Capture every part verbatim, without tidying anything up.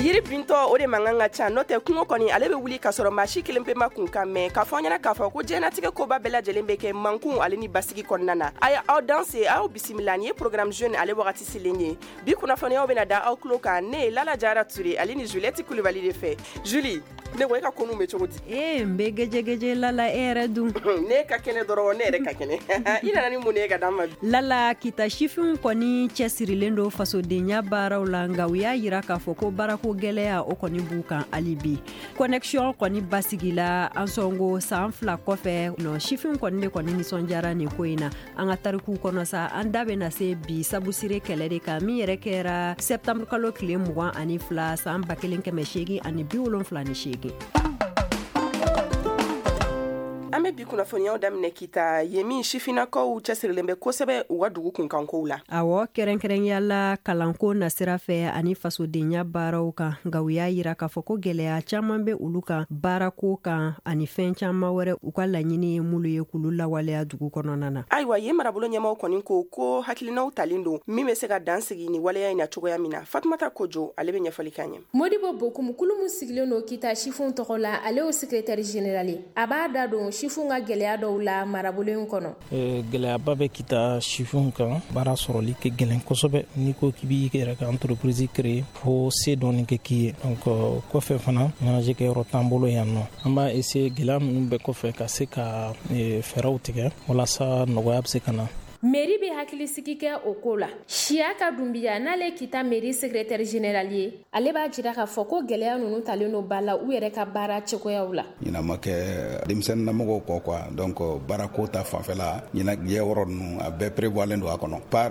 Yiri bintɔ o de man kan ka ca, n'o tɛ kungo kɔni ale bɛ wuli ka sɔrɔ maa si kelen pe ma kun kan mɛn. K'a fɔ an ɲɛna k'a fɔ ko diɲɛnatigɛ koba bɛɛ lajɛlen bɛ kɛ mankun ale ni basigi kɔnɔna na. A ye aw danse, aw bisimila. Nin ye programme jeune ale wagati selen ye. Bi kunnafoniyaw bɛna da aw tulo kan ne Lala Jara Ture ale ni Juliette Kulibali de fɛ. Julie, ne ko e ka konu bɛ cogo di? Ee, n bɛ gɛjɛgɛjɛ Lala, e yɛrɛ dun? Ne ka kɛnɛ dɔrɔn, ne yɛrɛ ka kɛnɛ. I nana ni mun ye ka d'an ma? Lala, Kita sifinw kɔni cɛsirilen don fasodenya baaraw la, nka u y'a yira k'a fɔ ko baarako gɛlɛya o kɔni b'u kan hali bi. Connexion kɔni basigila Ansongo san fila kɔfɛ nɔ, sifinw kɔni de kɔni nisɔndiyara nin ko in na. An ka tarikuw kɔnɔ sa, an da bɛna se bi sabusire kɛlɛ de kan, min yɛrɛ kɛra septembre kalo tile mugan ani fila san ba kelen kɛmɛ seegin ani bi wolonfila ni seegin. An bɛ bi kunnafoniyaw daminɛ Kita yen min sifinnakaw cɛsirilen bɛ kosɛbɛ u ka dugu kunkankow la. Awɔ, kɛrɛnkɛrɛnya la kalanko nasira fɛ ani fasodenya baaraw kan, nka u y'a yira k'a fɔ ko gɛlɛya caman bɛ olu kan baarako kan ani fɛn caman wɛrɛ, u ka laɲini ye minnu ye k'olu lawaleya dugu kɔnɔna na. Ayiwa, yen marabolo ɲɛmaw kɔni ko ko hakilinaw talen don min bɛ se ka dan sigi ni waleya in na cogoya min na. Fatumata Kojo ale bɛ ɲɛfɔli k'an ye. Modibo Bokum, kulu min sigilen don Kita sifinw tɔgɔ la, ale y'o secrétaire général ye. A b'a da don sifinw ka gɛlɛya dɔw la marabolo in kɔnɔ. Gɛlɛyaba bɛ Kita sifinw kan, baara sɔrɔli kɛ gɛlɛn kosɛbɛ. N'i ko k'i b'i yɛrɛ ka entreprise créer, fo se dɔɔni kɛ k'i ye. Donc kɔfɛ fana, ɲɛnajɛ kɛyɔrɔ t'an bolo yan nɔ. An b'a essayer gɛlɛya ninnu bɛɛ kɔfɛ ka se ka fɛɛrɛw tigɛ walasa nɔgɔya bɛ se ka na. Mairie bɛ hakilisigi kɛ o ko la. Siyaka Dunbiya, n'ale Kita mairie secrétaire général ye, ale b'a jira k'a fɔ ko gɛlɛya ninnu talen don ba la u yɛrɛ ka baara cogoyaw la. Ɲinan ma kɛ denmisɛnninnamɔgɔw kɔ quoi, donc baarako ta fanfɛla ɲinan yɔrɔ ninnu a bɛɛ prévoilen don a kɔnɔ. Par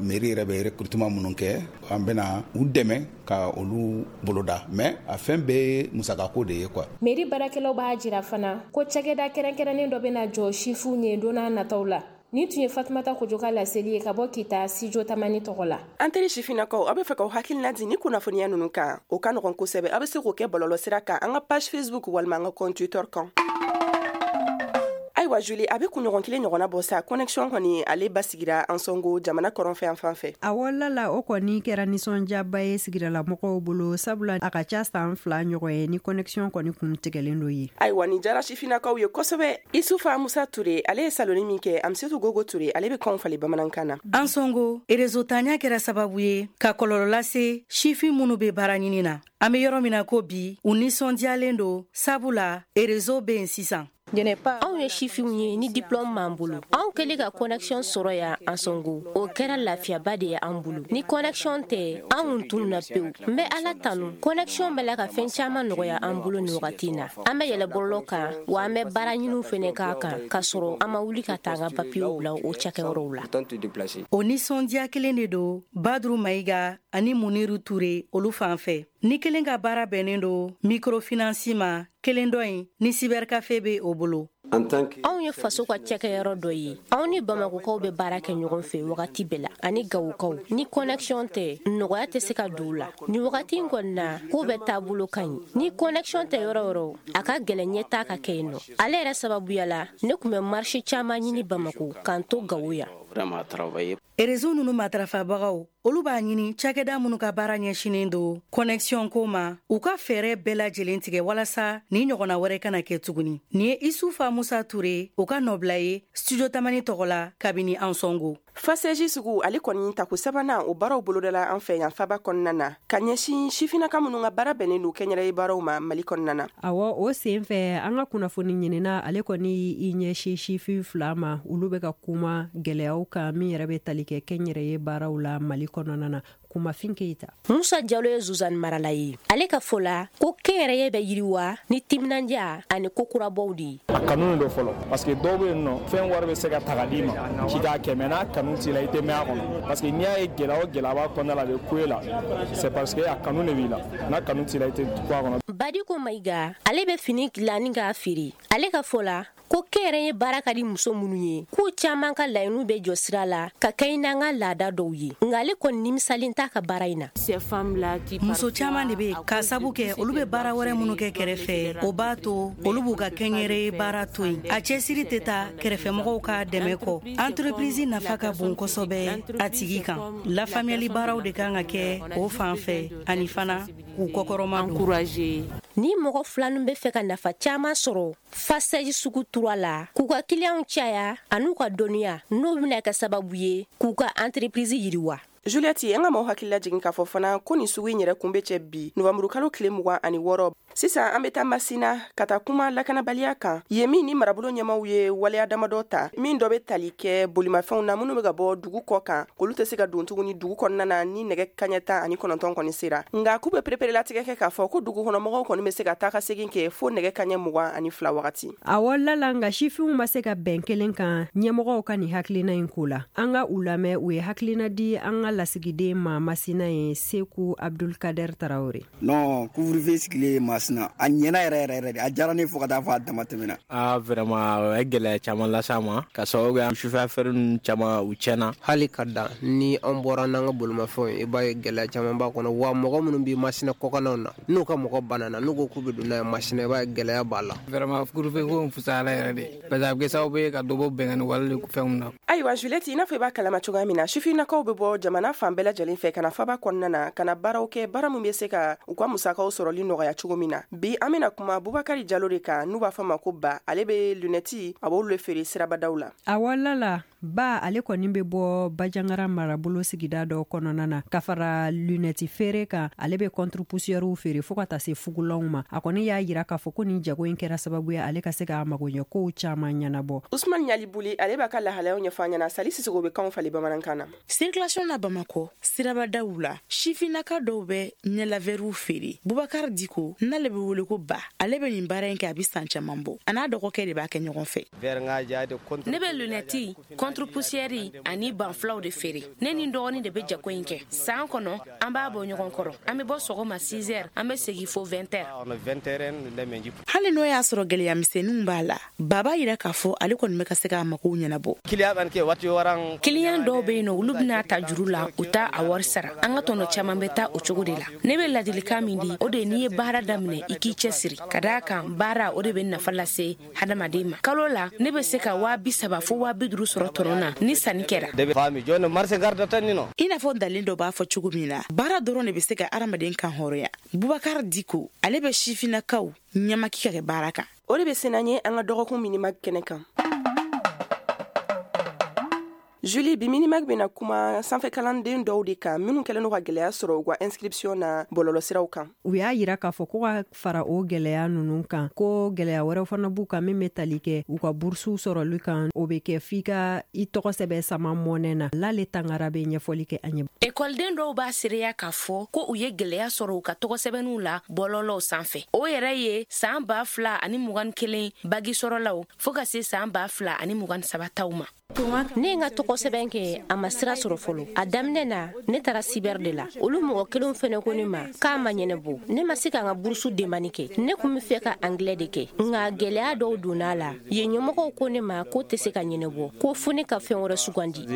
mairie yɛrɛ bɛ recrutement minnu kɛ, an bɛna u dɛmɛ ka olu boloda, mais a fɛn bɛɛ ye musakako de ye quoi. Mairie baarakɛlaw b'a jira fana ko cakɛda kɛrɛnkɛrɛnnen dɔ bɛna jɔ sifinw ye don n'a nataw la. Nin tun ye Fatumata Kojo ka laseli ye ka bɔ Kita Studio Tamani tɔgɔ la. An teri sifinnakaw, aw bɛ fɛ k'aw hakilina di ni kunnafoniya ninnu kan, o ka nɔgɔn kosɛbɛ. Aw bɛ se k'o kɛ bɔlɔlɔ sira kan, an ka page Facebook walima an ka compte Twitter kan. Ayiwa Julie, a bɛ kunɲɔgɔn kelen ɲɔgɔnna bɔ sa, connexion kɔni ale basigira Ansongo jamana kɔrɔnfɛ yan fan fɛ. Awɔ Lala, o kɔni kɛra nisɔndiyaba ye sigidalamɔgɔw bolo, sabula a ka ca san fila ɲɔgɔn ye ni connexion kɔni kun tigɛlen don ye. Ayiwa, nin diyara sifinnakaw ye kosɛbɛ. Isufa Musa Ture ale ye saloni min kɛ, Amsetu Gogo Ture ale bɛ kanw falen bamanankan na. Ansongo réseau tanya kɛra sababu ye ka kɔlɔlɔ lase sifin minnu bɛ baara ɲini na. An bɛ yɔrɔ min na ko bi, u nisɔndiyalen don sabula réseau bɛ yen sisan. Anw ye sifinw ye ni diplôme b'an bolo. Anw kɛlen ka connexion sɔrɔ yan Ansongo, o kɛra lafiyaba de ye an bolo. Ni connexion tɛ, an kun tununna pewu. N bɛ Ala tanu, connexion bɛ la ka fɛn caman nɔgɔya an bolo nin wagati in na. An bɛ yɛlɛ bɔlɔlɔ kan, wa an bɛ baara ɲiniw fɛnɛ k'a kan, k'a sɔrɔ an ma wuli ka taa an ka papiyew bila o cakɛyɔrɔw la. O nisɔndiya kelen de don Badru Mayiga ani Muniru Ture olu fan fɛ. Ni kelen ka baara bɛnnen don microfinance ma, kelen dɔ in ni cybercafé bɛ o bolo. Anw ye faso ka cakɛyɔrɔ dɔ ye. Anw ni Bamakɔkaw bɛ baara kɛ ɲɔgɔn fɛ wagati bɛɛ la, ani Gawokaw. Ni connexion tɛ, nɔgɔya tɛ se ka don u la. Nin wagati in kɔni na, ko bɛɛ taabolo ka ɲi. Ni connexion tɛ yɔrɔ yɔrɔ, a ka gɛlɛn ɲɛtaa ka kɛ yen nɔ. Ale yɛrɛ sababuya la, ne tun bɛ marché caman ɲini Bamako k'an to Gawo yan. Réseau ninnu matarafabagaw, olu b'a ɲini cakɛda minnu ka baara ɲɛsinnen don connexion ko ma, u ka fɛɛrɛ bɛɛ lajɛlen tigɛ walasa ni ɲɔgɔnna wɛrɛ kana kɛ tuguni. Nin ye Isufa Musa Ture, o ka nɔbila ye Studio Tamani tɔgɔ la kabini Ansongo. Faseji sugu ale kɔni tako sabanan o baaraw bolodala an fɛ yan faba kɔnɔna na, ka ɲɛsin sifinnaka minnu ka baara bɛnnen don kɛnyɛrɛye baaraw ma Mali kɔnɔna na. Awɔ, o sen fɛ an ka kunnafoni ɲinina ale kɔni i ɲɛsin sifin fila ma, olu bɛ ka kuma gɛlɛyaw kan min yɛrɛ bɛ tali kɛ kɛnyɛrɛye baaraw la Mali kɔnɔna na. Kumafin Keyita. Musa Jalo ye Zuzani marala ye. Ale ka fɔ la ko kɛnyɛrɛye bɛ yiriwa ni timinandiya ani ko kurabɔw de ye. A kanu don fɔlɔ, parce que dɔw bɛ yen nɔ, fɛn wari bɛ se ka ta ka d'i ma k'i k'a kɛ, mais n'a kanu t'i la, i tɛ mɛn a kɔnɔ. Parce que n'i y'a ye gɛlɛya o gɛlɛya b'a kɔnɔna la, a bɛ ku e la, c'est parce que a kanu de b'i la. N'a kanu t'i la, i tɛ ku a kɔnɔ. Badiko Mayiga, ale bɛ fini dilan ni k'a feere. Ale ka fɔ la ko kɛnyɛrɛye baara ka di muso minnu ye, k'u caman ka laɲiniw bɛ jɔ sira la ka kɛɲɛ n'an ka laada dɔw ye, nka ale kɔni nimisalen t'a ka baara in na. Muso caman de bɛ yen k'a sabu kɛ olu bɛ baara wɛrɛ minnu kɛ kɛrɛfɛ, o b'a to olu b'u ka kɛnyɛrɛye baara to yen. A cɛsiri tɛ taa kɛrɛfɛmɔgɔw ka dɛmɛ kɔ. Entreprise nafa ka bon kosɛbɛ a tigi kan. Lafaamuyali baaraw de kan ka kɛ o fan fɛ, ani fana k'u kɔkɔrɔma don. Ni mɔgɔ fila ninnu bɛ fɛ ka nafa caman sɔrɔ Fasɛji sugu tura la, k'u ka kiliyanw caya an'u ka dɔnniya, n'o bɛna kɛ sababu ye k'u ka entreprise yiriwa. Juliette, an ka maaw hakili lajigin k'a fɔ fana ko nin sugu in yɛrɛ kun bɛ cɛ bi nowanburukalo tile mugan ani wɔɔrɔ. Sisan an bɛ taa Masina ka taa kuma lakanabaliya kan, yen min ni marabolo ɲɛmaw ye waleya damadɔ ta, min dɔ bɛ tali kɛ bolimafɛnw na minnu bɛ ka bɔ dugu kɔ kan, olu tɛ se ka don tuguni dugu kɔnɔna na ni nɛgɛ kaɲɛ tan ani kɔnɔntɔn kɔni sera. Nka k'u bɛ pereperelatigɛ kɛ k'a fɔ ko dugu kɔnɔmɔgɔw kɔni bɛ se ka taa ka segin kɛ fo nɛgɛ kaɲɛ mugan ani fila wagati. Awɔ Lala, nka sifinw ma se ka bɛn kelen kan ɲɛmɔgɔw ka nin hakilina in ko la. An ka u lamɛn, u ye hakilina di an ka lasigiden ma Masina ye, Seku Abdulkader Tarawele. Non, couvre-feu sigilen Masina a ɲɛna yɛrɛ yɛrɛ yɛrɛ de, a diyara ne fo ka taa fɔ a dama tɛmɛna. Ah vraiment, o ye gɛlɛya caman lase an ma, ka sababu kɛ sufɛ affaire ninnu caman u tiɲɛna. Hali ka dan ni an bɔra n'an ka bolimafɛnw ye, i b'a ye gɛlɛya caman b'a kɔnɔ. Wa mɔgɔ minnu bɛ Masina kɔkannaw na, n'u ka mɔgɔ banana, n'u ko k'u bɛ don n'a ye Masina, i b'a ye gɛlɛya b'a la. Vraiment couvre-feu ko in fisayara yɛrɛ de, parce que a bɛ kɛ sababu ye ka dɔ bɔ bɛnkanni wale fɛnw na. Ayiwa Juliette, i n'a fɔ i b'a kalama cogoya min na, sifinnakaw bɛ bɔ jamana fan bɛɛ lajɛlen fɛ ka na faba kɔnɔna na, ka na baaraw kɛ, baara min bɛ se ka u ka musakaw sɔrɔli nɔgɔya cogo min na. Bi an bɛna kuma Bubakari Jalo de kan, n'u b'a fɔ ma ko Ba. Ale bɛ lunɛti, a b'olu feere sirabadaw la. Awɔ Lala, Ba ale kɔni bɛ bɔ Bajangara marabolo sigida dɔ kɔnɔna na, ka fara lunɛti feere kan, ale bɛ contre-poussièrew feere fo ka taa se fugulanw ma. A kɔni y'a yira k'a fɔ ko nin jago in kɛra sababu ye ale ka se k'a magoɲɛ kow caman ɲɛnabɔ. Usman Ɲalibuli, ale b'a ka lahalayaw ɲɛfɔ an ɲɛna. Sali Sisoko bɛ kanw falen bamanankan na. Circulation na Bamakɔ, sirabadaw la, sifinnaka dɔw bɛ ɲɛlavɛriw feere. Bubakari Diko, n'ale bɛ wele ko Ba, ale bɛ nin baara in kɛ a bɛ san caman bɔ. A n'a dɔgɔkɛ de b'a kɛ ɲɔgɔn fɛ. Ne bɛ lunɛti, contre-poussière ani banfulaw de feere. Ne ni dɔgɔnin de bɛ jago in kɛ. San kɔnɔ, an b'a bɔ ɲɔgɔn kɔrɔ. An bɛ bɔ sɔgɔma six heures, an bɛ segin fo vingt heures. Hali n'o y'a sɔrɔ gɛlɛya misɛnninw b'a la, Ba b'a yira k'a fɔ ale kɔni bɛ ka se k'a magow ɲɛnabɔ. Kiliyan dɔw bɛ yen nɔ, olu bɛna ta juru la, u t'a a wari sara. An ka tɔnɔ caman bɛ taa o cogo de la. Ne bɛ ladilikan min di, o de ye n'i ye baara daminɛ, i k'i cɛsiri. Ka d'a kan baara o de bɛ nafa lase hadamaden ma. Kalo la, ne bɛ se ka waa bi saba fo waa bi duuru sɔrɔ tɔnɔ na ni sanni kɛra. I n'a fɔ dalen dɔ b'a fɔ cogo min na, baara dɔrɔn de bɛ se ka hadamaden kan hɔrɔnya. Bubakari Diko, ale bɛ sifinnakaw ɲamaki ka kɛ baara kan. O de bɛ se n'an ye an ka dɔgɔkun minima kɛnɛ kan. Julie, bi minimag bɛna kuma sanfɛkalanden dɔw de kan minnu kɛlen don ka gɛlɛya sɔrɔ u ka inscription na bɔlɔlɔsiraw kan. U y'a yira k'a fɔ ko ka fara o gɛlɛya ninnu kan, ko gɛlɛya wɛrɛw fana b'u kan min bɛ tali kɛ u ka burusuw sɔrɔli kan. O bɛ kɛ f'i ka i tɔgɔ sɛbɛn sama mɔnɛ na. Lale Tangara bɛ ɲɛfɔli kɛ an ye. Ekɔliden dɔw b'a seereya k'a fɔ ko u ye gɛlɛya sɔrɔ u ka tɔgɔ sɛbɛnniw la bɔlɔlɔw sanfɛ. O yɛrɛ ye san ba fila ani mugan kelen bagi sɔrɔlaw fo ka se san ba fila ani mugan saba taw ma. Ne ye n ka tɔgɔ sɛbɛn kɛ, a ma sira sɔrɔ fɔlɔ. A daminɛ na, ne taara cyber de la. Olu mɔgɔ kelenw fɛnɛ ko ne ma k'a ma ɲɛnabɔ. Ne ma se ka n ka burusu demani kɛ. Ne kun bɛ fɛ ka anglais de kɛ, nka gɛlɛya dɔw donna a la. Yen ɲɛmɔgɔw ko ne ma k'o tɛ se ka ɲɛnabɔ, ko fo ne ka fɛn wɛrɛ sugandi.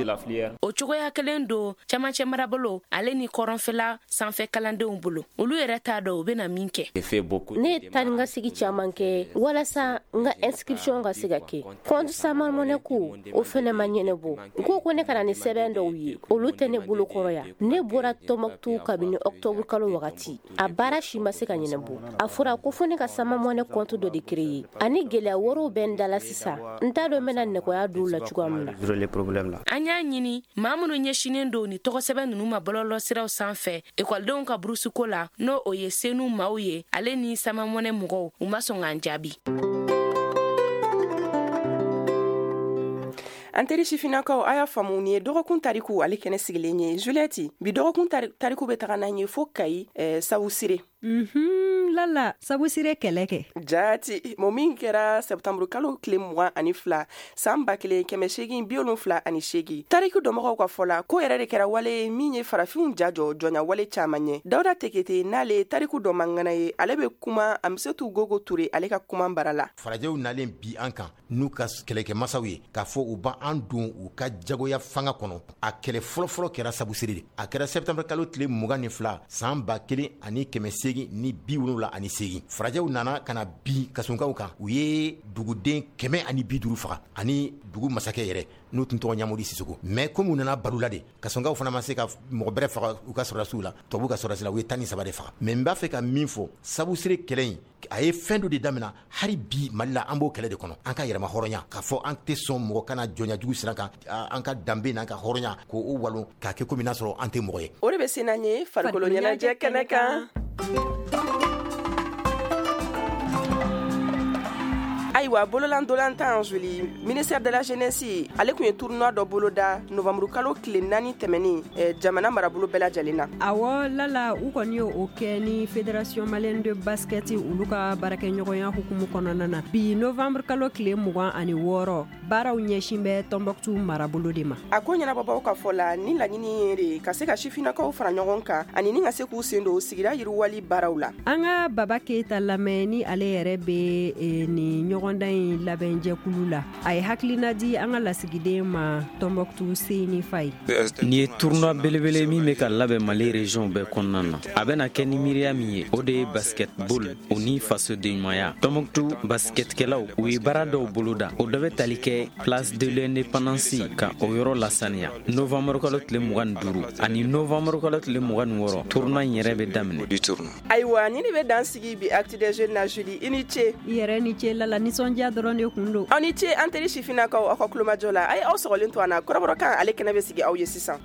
O cogoya kelen don camancɛ marabolo ale ni kɔrɔnfɛla sanfɛ kalandenw bolo. Olu yɛrɛ t'a dɔn u bɛna min kɛ. Ne ye taa ni ka segi caman kɛ walasa n ka inscription ka se ka kɛ. Compte sama mɔnɛ ko o fɛnɛ ma ɲɛnabɔ. N ko ko ne kana ni sɛbɛn dɔw ye, olu tɛ ne bolo kɔrɔ yan. Ne bɔra Tɔnbɔkutu kabini octobre kalo wagati, a baara si ma se ka ɲɛnabɔ. A fɔra ko fo ne ka sama mɔnɛ compte dɔ de créer. Ani gɛlɛya wɛrɛw bɛ n da la sisan, n t'a dɔn n bɛna nɔgɔya don la cogoya min na. An y'a ɲini maa minnu ɲɛsinnen don ni tɔgɔ sɛbɛn ninnu ma bɔlɔlɔsiraw sanfɛ ekɔlidenw ka burusuko la, n'o o ye senu maaw ye ale ni sama mɔnɛ mɔgɔw, u ma sɔn k'an jaabi. An teri sifinnakaw, a y'a faamu nin ye dɔgɔkun tariku ale kɛnɛ sigilen ye. Juliette, bi dɔgɔkun tariku bɛ taga n'an ye fo Kayi eh, Sawusire. Mhm, Lala, sabusire kɛlɛ kɛ. Jaati, mo min kɛra septembre kalo tile mugan ani fila san ba kelen kɛmɛ seegin bi wolonfila ani seegin. Tariku dɔnbagaw ka fɔ la, ko yɛrɛ de kɛra wale ye min ye farafinw ja jɔ jɔnya wale caman ɲɛ. Dawuda Tekete n'ale ye tariku dɔnmangana ye, ale bɛ kuma Amisetu Gogo Ture ale ka kuma bara la. Farajɛw nalen bi an kan n'u ka kɛlɛkɛmasaw ye k'a fɔ u b'an don u ka jagoya fanga kɔnɔ. A kɛlɛ fɔlɔfɔlɔ kɛra sabusire de. A kɛra septembre kalo tile mugan ni fila san ba kelen ani kɛmɛ seegin ni bi wolonwula ani seegin. Farajɛw nana ka na bin kasunkaw kan, u ye duguden kɛmɛ ani bi duuru faga ani dugu masakɛ yɛrɛ n'u tun tɔgɔ Ɲamodi Sisoko. Mais comme u nana balo la de, kasɔnkaw fana ma se ka mɔgɔ bɛrɛ faga u ka sɔrɔdasiw la, tubabu ka sɔrɔdasi la, u ye tan ni saba de faga. Mais n b'a fɛ ka min fɔ, sabusire kɛlɛ in a ye fɛn dɔ de daminɛ, hali bi Mali la an b'o kɛlɛ de kɔnɔ. An ka yɛrɛma hɔrɔnya, k'a fɔ an tɛ sɔn mɔgɔ kana jɔnya jugu sira kan, an ka danbe n'an ka hɔrɔnya k'o walon k'a kɛ komi n'a sɔrɔ an tɛ mɔgɔ ye. O de bɛ se n'an ye farikolo ɲɛnajɛ kɛnɛ kan. Ayiwa, bololandolantan Joli, ministère de la jeunesse ale tun ye tournoi dɔ boloda novembre kalo tile naani tɛmɛnen eh, jamana marabolo bɛɛ lajɛlen na. Awɔ Lala, u kɔni ye o kɛ ni fédération malienne de basket olu ka baarakɛɲɔgɔnya hukumu kɔnɔna na. Bi novembre kalo tile mugan ani wɔɔrɔ, baaraw ɲɛsin bɛ Tɔnbɔkutu marabolo de ma. A ko ɲɛnabɔbaw ka fɔ la, ni laɲini ye de ka se ka sifinnakaw fara ɲɔgɔn kan ani ni ka se k'u sen don sigida yiriwali baaraw la. An ka Baba Keyita lamɛn ni ale yɛrɛ bɛ eh, nin ɲɔgɔn ɲɔgɔndan in labɛnjɛkulu la. A ye hakilina di an ka lasigiden ma Tɔnbɔkutu Seyni Faye. Nin ye tournoi belebele min bɛ ka labɛn Mali région bɛɛ kɔnɔna na. A bɛna kɛ ni miiriya min ye, o de ye basketball o ni fasodenɲumanya. Tɔnbɔkutu basketkɛlaw u ye baara dɔw boloda, o dɔ bɛ tali kɛ place de l'indépendance ka o yɔrɔ lasaniya. Novembre kalo tile mugan ni duuru ani novembre kalo tile mugan ni wɔɔrɔ, tournoi in yɛrɛ bɛ daminɛ. Ayiwa, ni de bɛ dan sigi bi Actu des Jeunes na. Julie, i ni ce. I yɛrɛ ni ce Lala, nisɔndiya dɔrɔn de kun don. Aw ni ce an teri sifinnakaw aw ka kulomajɔ la. A ye aw sɔgɔlen to an na, kɔrɔbɔrɔkan ale kɛnɛ bɛ sigi aw ye sisan.